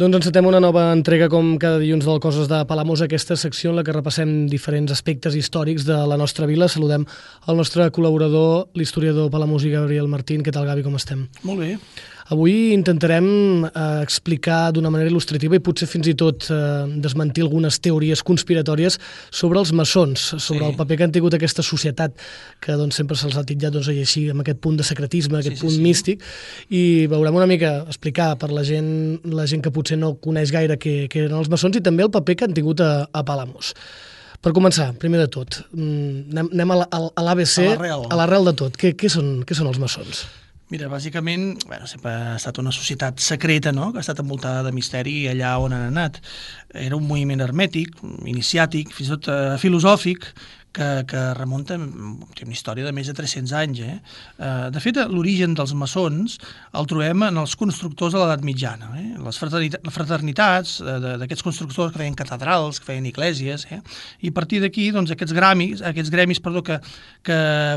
Doncs encetem una nova entrega com cada dilluns del Coses de Palamós, aquesta secció en la que repassem diferents aspectes històrics de la nostra vila. Saludem el nostre col·laborador, l'historiador palamosí Gabriel Martín. Què tal, Gavi, com estem? Molt bé. Avui intentarem explicar d'una manera il·lustrativa i potser fins i tot desmentir algunes teories conspiratòries sobre els maçons, sobre el paper que han tingut aquesta societat, que sempre se'ls ha titllat així, amb aquest punt de secretisme, aquest punt místic, i veurem una mica explicar per la gent que potser no coneix gaire què eren els maçons i també el paper que han tingut a Palamós. Per començar, primer de tot, anem a l'ABC, a l'arrel de tot. Què són els maçons? Mira, bàsicament, sempre ha estat una societat secreta, no?, que ha estat envoltada de misteri allà on han anat. Era un moviment hermètic, iniciàtic, fins i tot filosòfic, que remunta a una història de més de 300 anys. De fet, l'origen dels maçons el trobem en els constructors de l'edat mitjana. Les fraternitats d'aquests constructors que feien catedrals, que feien esglésies, i a partir d'aquí aquests gremis que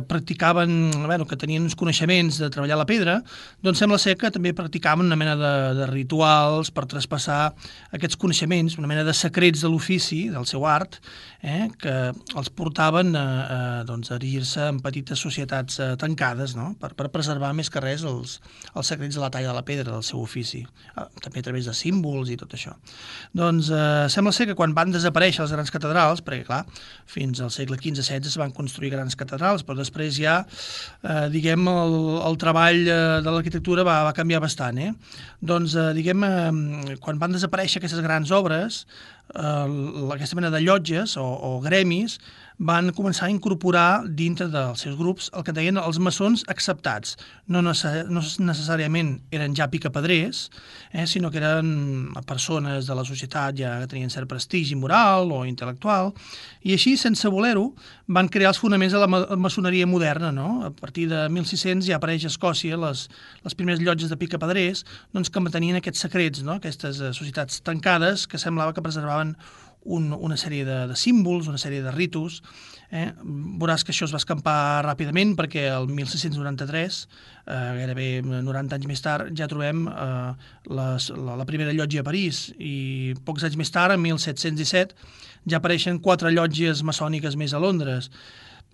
practicaven, que tenien uns coneixements de treballar la pedra, doncs sembla ser que també practicaven una mena de rituals per traspassar aquests coneixements, una mena de secrets de l'ofici, del seu art, que els portaven a erigir-se en petites societats tancades, no?, per preservar més que res els secrets de la talla de la pedra del seu ofici, també a través de símbols i tot això. Doncs sembla ser que quan van desaparèixer les grans catedrals, perquè clar, fins al segle XV-XVI es van construir grans catedrals, però després ja, el treball de l'arquitectura va canviar bastant. Doncs, quan van desaparèixer aquestes grans obres, aquesta mena de llotges o gremis van començar a incorporar dintre dels seus grups el que deien els maçons acceptats. No necessàriament eren ja picapedrers, sinó que eren persones de la societat ja que tenien cert prestigi moral o intel·lectual, i així, sense voler-ho, van crear els fonaments de la maçoneria moderna. A partir de 1600 ja apareix a Escòcia les primeres llotges de picapedrers que mantenien aquests secrets, aquestes societats tancades que semblava que preservaven una sèrie de símbols, una sèrie de ritus. Veuràs que això es va escampar ràpidament perquè el 1693, gairebé 90 anys més tard, ja trobem la primera llotja a París, i pocs anys més tard, en 1717, ja apareixen 4 llotges maçòniques més a Londres.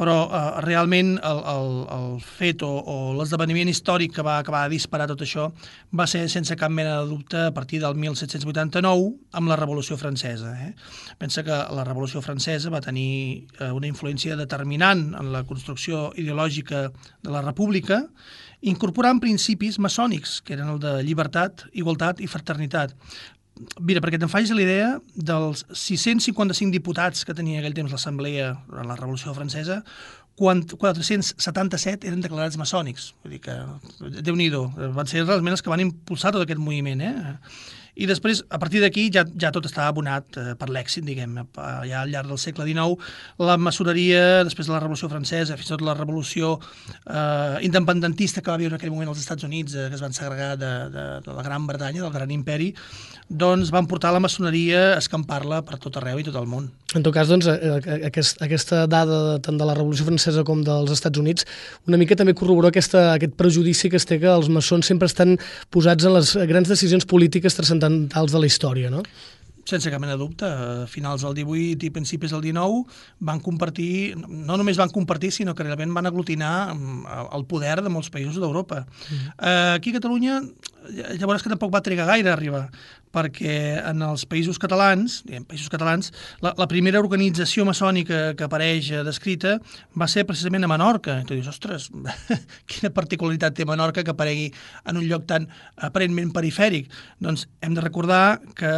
Però realment el fet o l'esdeveniment històric que va acabar de disparar tot això va ser sense cap mena de dubte a partir del 1789 amb la Revolució Francesa. Pensa que la Revolució Francesa va tenir una influència determinant en la construcció ideològica de la República, incorporant principis maçònics, que eren el de llibertat, igualtat i fraternitat. Mira, perquè te'n facis l'idea, dels 655 diputats que tenia aquell temps l'Assemblea en la Revolució Francesa, 477 eren declarats maçònics. Vull dir que, Déu-n'hi-do, van ser realment els que van impulsar tot aquest moviment. I després, a partir d'aquí, ja tot estava abonat per l'èxit, diguem. Ja al llarg del segle XIX, la maçoneria, després de la Revolució Francesa, fins i tot la revolució independentista que va viure en aquell moment als Estats Units, que es van segregar de la Gran Bretanya, del Gran Imperi, doncs van portar la maçoneria a escampar-la per tot arreu i tot el món. En tot cas, aquesta dada tant de la Revolució Francesa com dels Estats Units una mica també corrobora aquest prejudici que es té que els maçons sempre estan posats en les grans decisions polítiques transcendentals de la història, no? Sense cap mena de dubte. A finals del 18 i principis del 19 van compartir, no només van compartir, sinó que realment van aglutinar el poder de molts països d'Europa. Aquí a Catalunya, llavors que tampoc va trigar gaire a arribar, perquè en els països catalans, la primera organització maçònica que apareix descrita va ser precisament a Menorca. I tu dius, ostres, quina particularitat té Menorca que aparegui en un lloc tan aparentment perifèric? Doncs hem de recordar que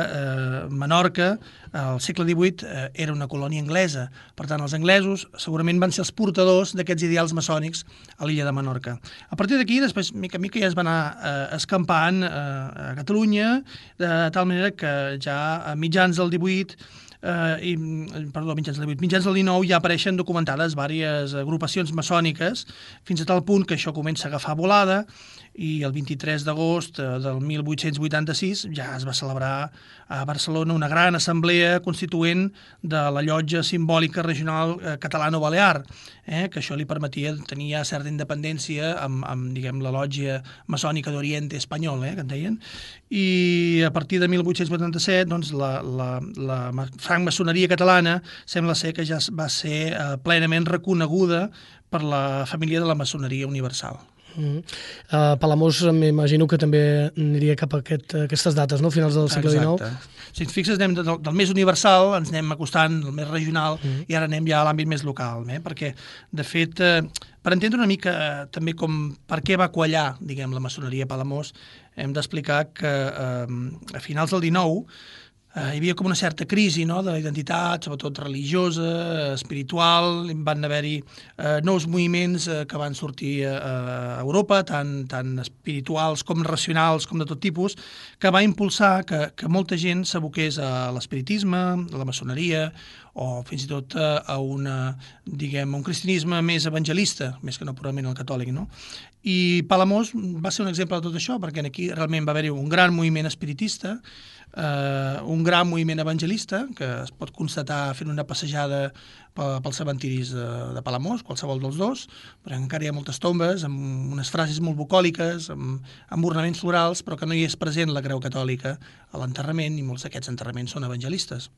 Menorca, al segle XVIII, era una colònia anglesa. Per tant, els anglesos segurament van ser els portadors d'aquests ideals maçònics a l'illa de Menorca. A partir d'aquí, després, mica en mica, ja es va anar escampant a Catalunya, de tal manera que ja a mitjans del 18 mitjans del 19 ja apareixen documentades diverses agrupacions maçòniques, fins a tal punt que això comença a agafar volada i el 23 d'agost del 1886 ja es va celebrar a Barcelona una gran assemblea constituent de la llotja simbòlica regional catalano-balear, que això li permetia tenir ja certa independència amb diguem, la lòtgia maçònica d'Oriente espanyol, que en deien, i a partir de 1887 doncs, la francmaçoneria catalana sembla ser que ja va ser plenament reconeguda per la família de la maçoneria universal. Palamós m'imagino que també aniria cap a aquestes dates, no? Finals del segle XIX. Exacte. Si et fixes, anem del més universal, ens anem acostant al més regional i ara anem ja a l'àmbit més local, perquè, de fet, per entendre una mica també per què va quallar, diguem, la maçoneria a Palamós, hem d'explicar que a finals del XIX hi havia com una certa crisi, no?, de la identitat, sobretot religiosa, espiritual, van haver-hi nous moviments que van sortir a Europa, tant espirituals com racionals, com de tot tipus, que va impulsar que molta gent s'aboqués a l'espiritisme, a la maçoneria, o fins i tot a un cristianisme més evangelista, més que no purament el catòlic, no? I Palamós va ser un exemple de tot això, perquè aquí realment va haver-hi un gran moviment espiritista, un gran moviment evangelista, que es pot constatar fent una passejada pels cementiris de Palamós, qualsevol dels dos, però encara hi ha moltes tombes amb unes frases molt bucòliques, amb ornaments florals, però que no hi és present la creu catòlica a l'enterrament, i molts d'aquests enterraments són evangelistes.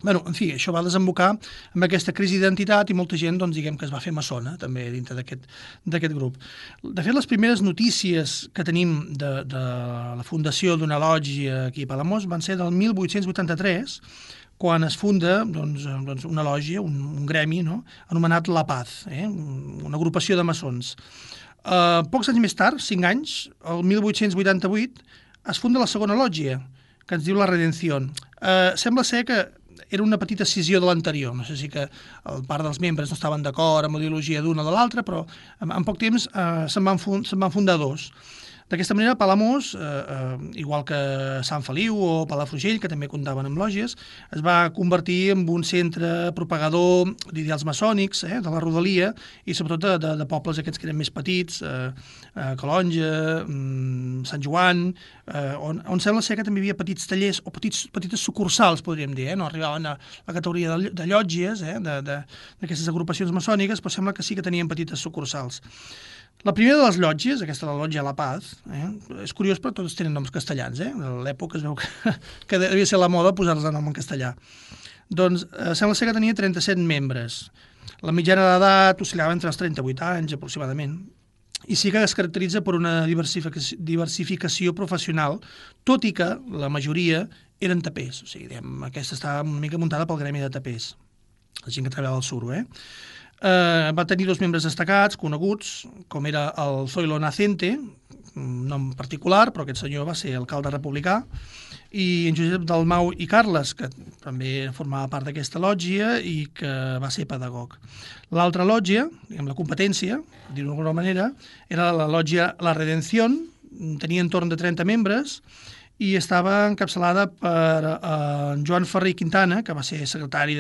Bé, en fi, això va desembocar amb aquesta crisi d'identitat i molta gent, doncs, diguem que es va fer maçona, també, dintre d'aquest grup. De fet, les primeres notícies que tenim de la fundació d'una lògia aquí a Palamós van ser del 1883, quan es funda doncs, una lògia, un gremi, no?, anomenat La Paz, una agrupació de maçons. Pocs anys més tard, 5 anys, el 1888, es funda la segona lògia, que ens diu La Redención. Sembla ser que era una petita escissió de l'anterior. No sé si que part dels membres no estaven d'acord amb la ideologia d'una o de l'altra, però en poc temps se'n van fundar dos. D'aquesta manera, Palamós, igual que Sant Feliu o Palafrugell, que també comptaven amb lògies, es va convertir en un centre propagador d'ideals maçònics, de la rodalia, i sobretot de pobles aquests que eren més petits, Calonja, Sant Joan, on sembla ser que també hi havia petits tallers o petites sucursals, podríem dir, no arribaven a la categoria de llotges, d'aquestes agrupacions maçòniques, però sembla que sí que tenien petites sucursals. La primera de les llotges, aquesta de la lòtgia La Paz, és curiós, però tots tenen noms castellans. A l'època es veu que devia ser la moda posar-los el nom en castellà. Doncs sembla ser que tenia 37 membres. La mitjana d'edat oscil·lava entre els 38 anys, aproximadament, i sí que es caracteritza per una diversificació professional, tot i que la majoria eren tapers. O sigui, aquesta estava una mica muntada pel gremi de tapers, la gent que treballava al suro, va tenir 2 membres destacats, coneguts, com era el Zoilo Nacente, un nom particular, però aquest senyor va ser alcalde republicà, i en Josep Dalmau i Carles, que també formava part d'aquesta lòtgia i que va ser pedagog. L'altra lòtgia, diguem, la competència, dir-ho d'alguna manera, era la lòtgia La Redención, tenia entorn de 30 membres, i estava encapçalada per Joan Ferrer i Quintana, que va ser secretari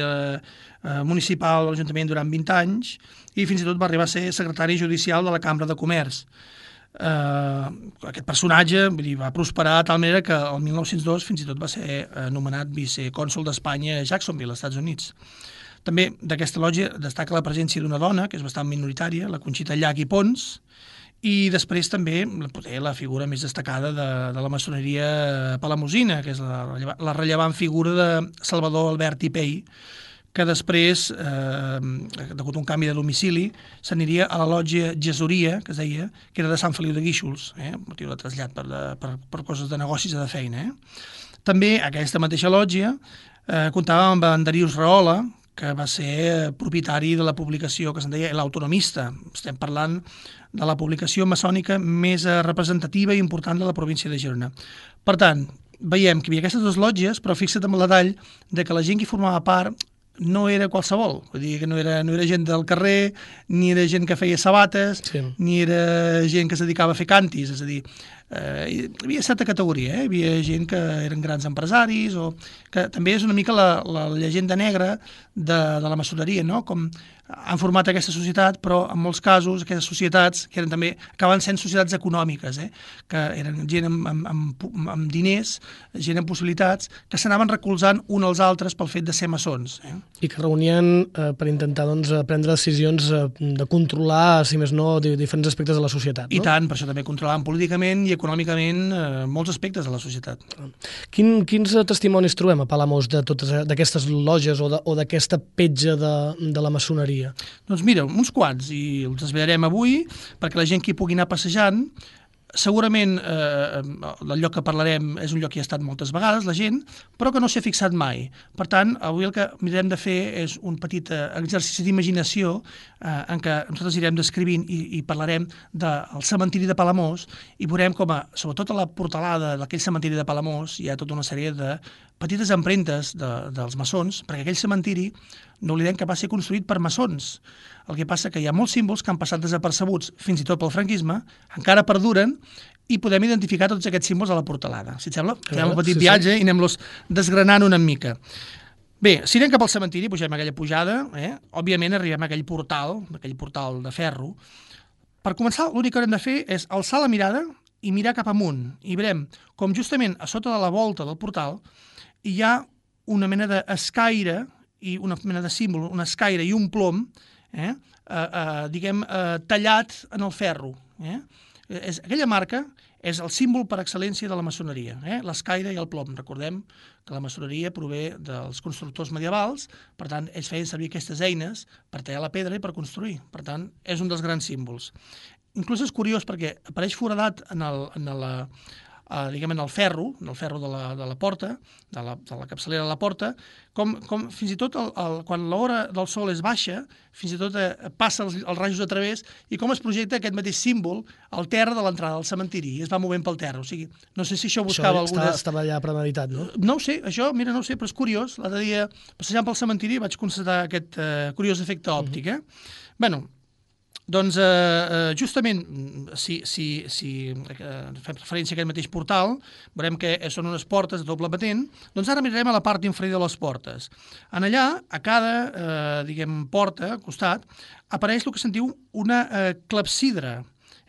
municipal de l'Ajuntament durant 20 anys, i fins i tot va arribar a ser secretari judicial de la Cambra de Comerç. Aquest personatge va prosperar de tal manera que el 1902 fins i tot va ser nomenat vicecònsol d'Espanya a Jacksonville, als Estats Units. També d'aquesta lòtgia destaca la presència d'una dona, que és bastant minoritària, la Conxita Llach i Pons, i després també la figura més destacada de la maçoneria palamosina, que és la rellevant figura de Salvador Albert i Pey, que després, degut a un canvi de domicili, s'aniria a la lòtgia Gesoria, que es deia, que era de Sant Feliu de Guíxols, motiu de trasllat per coses de negocis o de feina. També aquesta mateixa lòtgia comptava amb en Darius Rahola, que va ser propietari de la publicació que se'n deia L'Autonomista. Estem parlant de la publicació maçònica més representativa i important de la província de Girona. Per tant, veiem que hi havia aquestes 2 lòtgies, però fixa't en el detall de que la gent que formava part no era qualsevol, vull dir que no era gent del carrer, ni era gent que feia sabates, ni era gent que es dedicava a fer cantis, és a dir, hi havia certa categoria, hi havia gent que eren grans empresaris, o que també és una mica la llegenda negra de la maçoneria, no? Com han format aquesta societat, però en molts casos aquestes societats, que eren també, acaben sent societats econòmiques, que eren gent amb diners, gent amb possibilitats, que s'anaven recolzant un als altres pel fet de ser maçons. I que reunien per intentar prendre decisions de controlar, si més no, diferents aspectes de la societat. I tant, per això també controlaven políticament i econòmicament molts aspectes de la societat. Quins testimonis trobem a Palamós d'aquestes lògies o d'aquesta petja de la maçoneria? Doncs mira, uns quants, i els desvetllarem avui, perquè la gent que hi pugui anar passejant, segurament el lloc que parlarem és un lloc que hi ha estat moltes vegades, la gent, però que no s'hi ha fixat mai. Per tant, avui el que mirarem de fer és un petit exercici d'imaginació en què nosaltres irem descrivint i parlarem del cementiri de Palamós i veurem com, sobretot a la portalada d'aquell cementiri de Palamós, hi ha tota una sèrie de petites empremtes dels maçons, perquè aquell cementiri, no oblidem que va ser construït per maçons. El que passa que hi ha molts símbols que han passat desapercebuts, fins i tot pel franquisme, encara perduren, i podem identificar tots aquests símbols a la portalada. Si et sembla, fem un petit viatge i anem-los desgranant una mica. Bé, si anem cap al cementiri, pugem aquella pujada, òbviament arribem a aquell portal de ferro. Per començar, l'únic que haurem de fer és alçar la mirada i mirar cap amunt. I veurem com justament a sota de la volta del portal hi ha una mena d'escaire i una mena de símbol, una escaire i un plom, tallat en el ferro. Aquella marca és el símbol per excel·lència de la maçoneria, l'escaire i el plom. Recordem que la maçoneria prové dels constructors medievals, per tant, ells feien servir aquestes eines per tallar la pedra i per construir. Per tant, és un dels grans símbols. Inclús és curiós perquè apareix foradat en el ferro de la porta, de la capçalera de la porta, com fins i tot quan l'hora del sol és baixa, fins i tot passa els rajos a través i com es projecta aquest mateix símbol al terra de l'entrada del cementiri i es va movent pel terra. O sigui, no sé si això buscava algunes... Estava ja premeditat, no? No ho sé, això, mira, no ho sé, però és curiós. L'altre dia, passejant pel cementiri, vaig constatar aquest curiós efecte òptic. Bueno, doncs, justament, si fem referència a aquest mateix portal, veurem que són unes portes de doble batent, doncs ara mirarem a la part inferior de les portes. En allà, a cada, porta, costat, apareix el que se'n diu una clepsidra,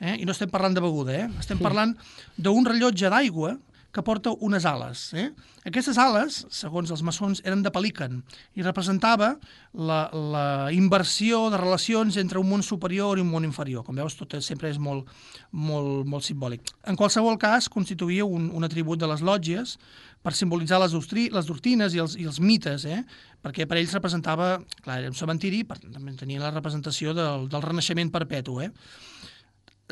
i no estem parlant de beguda, estem parlant d'un rellotge d'aigua que porta unes ales. Aquestes ales, segons els maçons, eren de pelican i representava la inversió de relacions entre un món superior i un món inferior. Com veus, tot sempre és molt, molt, molt simbòlic. En qualsevol cas, constituïa un atribut de les lòtgies per simbolitzar les doctrines i els mites, perquè per ells representava, clar, era un cementiri, també tenia la representació del renaixement perpetu.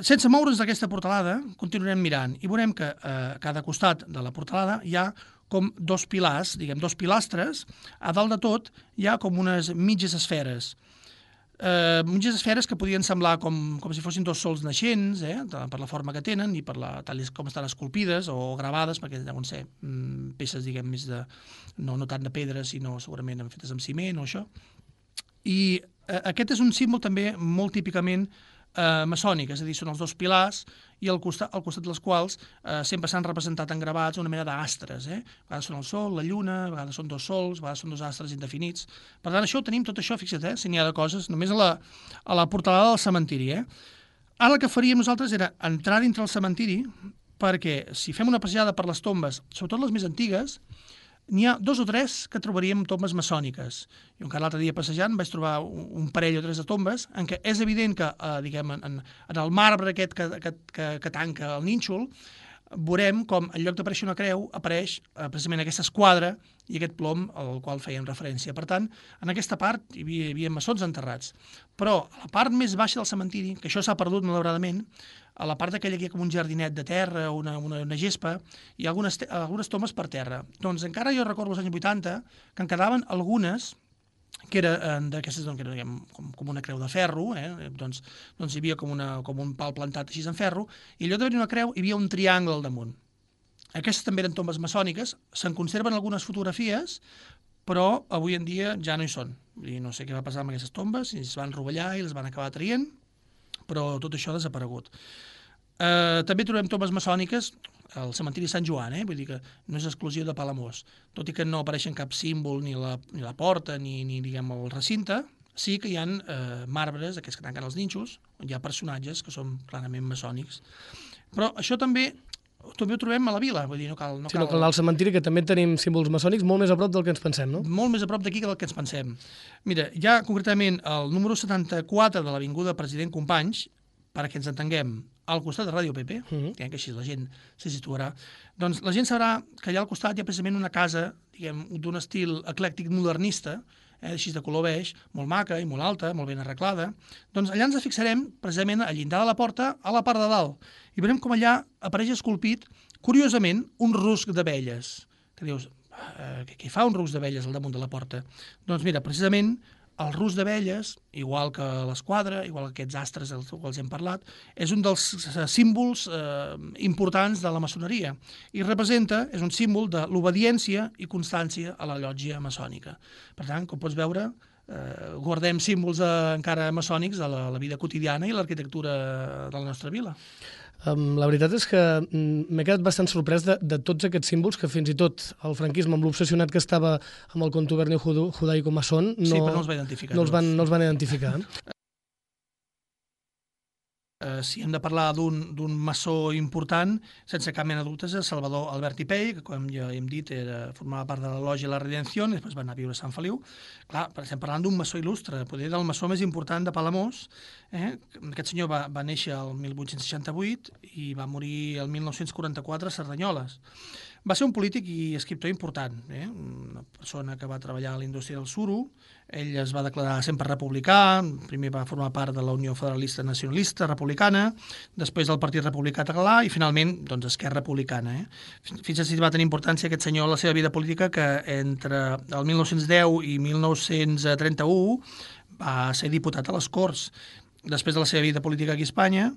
Sense moure's d'aquesta portalada, continuarem mirant i veurem que a cada costat de la portalada hi ha com dos pilars, dos pilastres. A dalt de tot hi ha com unes mitges esferes. Mitges esferes que podien semblar com si fossin dos sols naixents, per la forma que tenen i per tal com estan esculpides o gravades, perquè deuen ser peces, més de... no tant de pedra, sinó segurament fetes amb ciment o això. I aquest és un símbol també molt típicament maçònic, és a dir, són els dos pilars i al costat dels quals sempre s'han representat engravats una mena d'astres. A vegades són el sol, la lluna, a vegades són dos sols, a vegades són dos astres indefinits. Per tant, això ho tenim tot això, fixa't, si n'hi ha de coses, només a la portalada del cementiri. Ara el que faríem nosaltres era entrar dintre el cementiri perquè si fem una passejada per les tombes, sobretot les més antigues, n'hi ha 2 o 3 que trobaríem tombes maçòniques. Jo encara l'altre dia passejant vaig trobar un parell o 3 de tombes en què és evident que, en el marbre aquest que tanca el nínxol, veurem com en lloc d'aparèixer una creu apareix precisament aquesta esquadra i aquest plom al qual feien referència. Per tant, en aquesta part hi havia maçons enterrats. Però a la part més baixa del cementiri, que això s'ha perdut malauradament, a la part d'aquella que hi ha com un jardinet de terra, una gespa, hi ha algunes tombes per terra. Doncs encara jo recordo als anys 80 que en quedaven algunes que eren d'aquestes, que eren com una creu de ferro, doncs hi havia com un pal plantat així en ferro, i allò d'haver-hi una creu hi havia un triangle al damunt. Aquestes també eren tombes maçòniques, se'n conserven algunes fotografies, però avui en dia ja no hi són. I no sé què va passar amb aquestes tombes, si es van rovellar i les van acabar traient, però tot això ha desaparegut. També trobem tombes maçòniques al cementiri Sant Joan, vull dir que no és exclusiu de Palamós, tot i que no apareixen cap símbol ni la porta ni el recinte, sí que hi ha marbres, aquests que tanquen els nínxols, on hi ha personatges que són clarament maçònics. Però això també ho trobem a la vila, vull dir, no cal... Si no cal anar al cementiri, que també tenim símbols maçònics molt més a prop del que ens pensem, no? Molt més a prop d'aquí que del que ens pensem. Mira, hi ha concretament el número 74 de l'Avinguda President Companys, perquè ens entenguem, al costat de Ràdio PP, que així la gent se situarà, doncs la gent sabrà que allà al costat hi ha precisament una casa, diguem, d'un estil eclèctic modernista, així de color beix, molt maca i molt alta, molt ben arreglada. Doncs allà ens fixarem precisament al llindar de la porta, a la part de dalt, i veurem com allà apareix esculpit, curiosament, un rusc d'abelles. Que dius, què fa un rusc d'abelles al damunt de la porta? Doncs mira, precisament, el rusc d'abelles, igual que l'esquadra, igual que aquests astres dels quals hem parlat, és un dels símbols importants de la maçoneria i representa, és un símbol de l'obediència i constància a la llotja maçònica. Per tant, com pots veure, guardem símbols encara maçònics a la vida quotidiana i l'arquitectura de la nostra vila. La veritat és que m'he quedat bastant sorprès de tots aquests símbols que fins i tot el franquisme, amb l'obsessionat que estava amb el contubernio judaico-maçon, sí, però no els va identificar. No els van identificar. Si hem de parlar d'un maçó important, sense cap mena de dubtes, és Salvador Albert i Pell, que com ja hem dit formava part de la Lògia La Redenció, i després va anar a viure a Sant Feliu. Clar, estem parlant d'un maçó il·lustre, potser del maçó més important de Palamós. Aquest senyor va néixer el 1868 i va morir el 1944 a Cerdanyoles. Va ser un polític i escriptor important, una persona que va treballar a la indústria del suro. Ell es va declarar sempre republicà, primer va formar part de la Unió Federalista Nacionalista Republicana, després del Partit Republicà Català i finalment doncs, Esquerra Republicana. Fins així va tenir importància aquest senyor en la seva vida política, que entre el 1910 i 1931 va ser diputat a les Corts. Després de la seva vida política aquí a Espanya,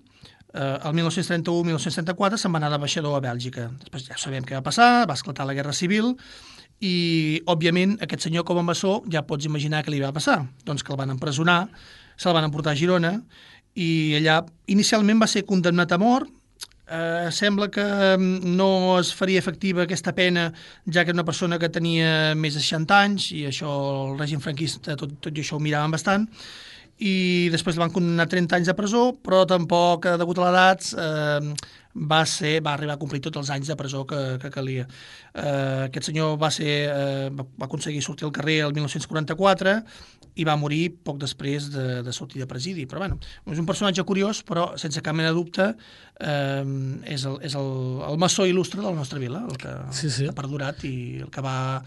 el 1931-1934 se'n va anar d'ambaixador a Bèlgica. Després ja sabem què va passar, va esclatar la Guerra Civil i, òbviament, aquest senyor com a maçó ja pots imaginar què li va passar. Doncs que el van empresonar, se'l van emportar a Girona i allà inicialment va ser condemnat a mort. Sembla que no es faria efectiva aquesta pena, ja que era una persona que tenia més de 60 anys i això el règim franquista tot i això ho miraven bastant, i després el van condemnar a 30 anys de presó, però tampoc, degut a l'edat, va arribar a complir tots els anys de presó que calia. Aquest senyor va aconseguir sortir al carrer el 1944 i va morir poc després de sortir de presidi. Però bueno, és un personatge curiós, però sense cap mena de dubte és el maçó il·lustre de la nostra vila, el que ha perdurat i el que va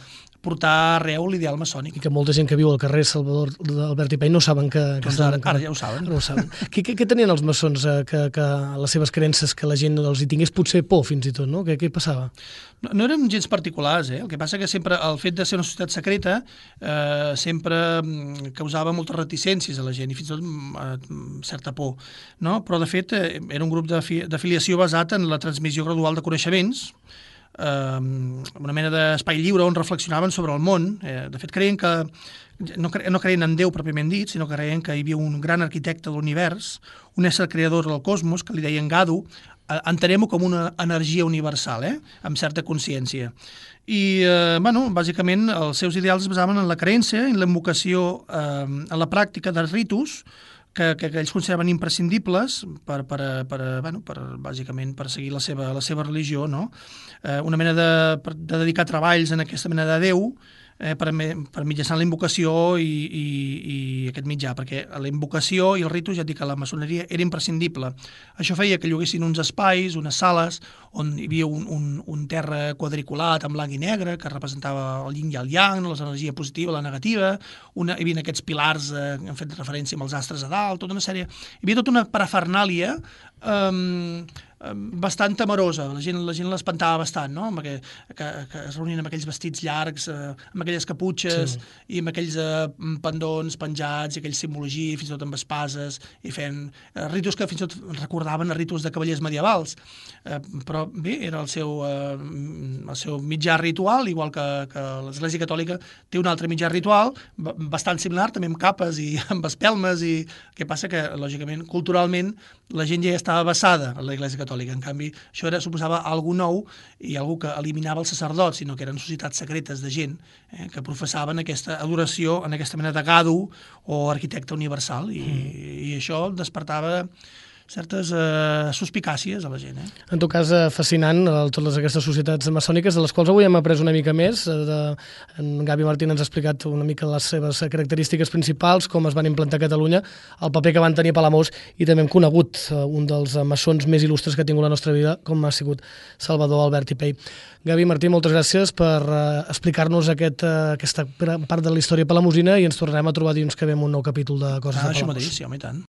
portar arreu l'ideal maçònic. I que molta gent que viu al carrer Salvador Albert i Pell no saben que ara ja ho saben. No ho saben. Què tenien els maçons que les seves creences, que la gent els hi tingués potser por fins i tot, no? Què passava? No eren gens particulars, El que passa que sempre el fet de ser una societat secreta sempre causava moltes reticències a la gent i fins i tot certa por, no? Però de fet era un grup d'afiliació basat en la transmissió gradual de coneixements, una mena d'espai lliure on reflexionaven sobre el món. De fet, creien que no creien en Déu pròpiament dit, sinó que creien que hi havia un gran arquitecte de l'univers, un ésser creador del cosmos, que li deien Gadu. Entenem-ho com una energia universal, amb certa consciència. I, bàsicament, els seus ideals es basaven en la creença, en l'invocació, en la pràctica de ritus que ells consideraven imprescindibles bàsicament per seguir la seva religió, no? Una mena de dedicar treballs en aquesta mena de Déu per mitjançant la invocació i aquest mitjà, perquè la invocació i el ritus, ja et dic que la maçoneria era imprescindible. Això feia que lloguessin uns espais, unes sales, on hi havia un terra quadriculat en blanc i negre, que representava el yin i el yang, l'energia positiva, la negativa, hi havia aquests pilars que han fet referència amb els astres a dalt, tota una sèrie... Hi havia tota una parafernàlia bastant temerosa, la gent l'espantava bastant, no? Que es reunien amb aquells vestits llargs, amb aquelles caputxes i amb aquells pendons penjats i aquells simbologia, fins i tot amb espases, i feien ritus que fins i tot recordaven a ritus de cavallers medievals. Però bé, era el seu mitjà ritual, igual que l'Església Catòlica té un altre mitjà ritual bastant similar, també amb capes i amb espelmes, i què passa que, lògicament, culturalment, la gent ja està estava basada en l'Església Catòlica. En canvi, això suposava algo nou i algo que eliminava els sacerdots, sinó que eren societats secretes de gent que professaven aquesta adoració en aquesta mena de gado o arquitecte universal, i això despertava certes suspicàcies a la gent. En tot cas, fascinant totes aquestes societats maçòniques, de les quals avui hem après una mica més. En Gavi Martín ens ha explicat una mica les seves característiques principals, com es van implantar a Catalunya, el paper que van tenir a Palamós, i també hem conegut un dels maçons més il·lustres que ha tingut la nostra vida, com ha sigut Salvador Albert i Pey. Gavi Martín, moltes gràcies per explicar-nos aquesta part de la història palamosina, i ens tornarem a trobar dilluns que ve amb un nou capítol de Coses de Palamós. Això mateix, sí, home, i tant.